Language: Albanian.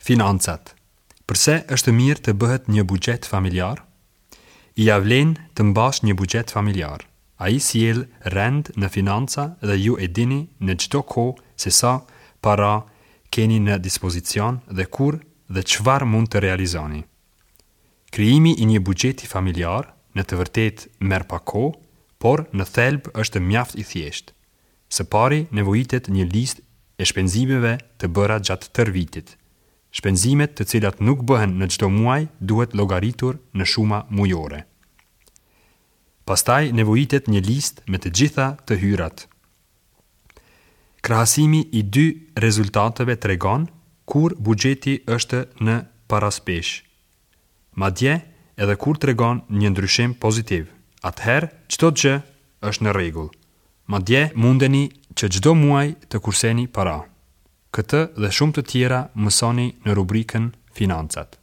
Financat. Përse është mirë të bëhet një buxhet familjar? Ia vlen të mbash një buxhet familjar. Ai sjell rend në financa dhe ju e dini në çdo kohë se sa para keni në dispozicion dhe kur dhe çfarë mund të realizoni. Krijimi i një buxheti familjar në të vërtetë merr pak kohë, por në thelb është mjaft i thjeshtë. Së pari nevojitet një listë e shpenzimeve të bëra gjatë tërë vitit. Shpenzimet të cilat nuk bëhen në çdo muaj duhet llogaritur në shuma mujore. Pastaj nevojitet një listë me të gjitha të hyrat. Krahasimi i dy rezultateve tregon kur buxheti është në baraspeshë. Madje edhe kur tregon një ndryshim pozitiv, atëherë çdo gjë është në rregull. Madje mundeni që çdo muaj të kurseni para. Këtë dhe shumë të tjera mësoni në rubrikën Financat.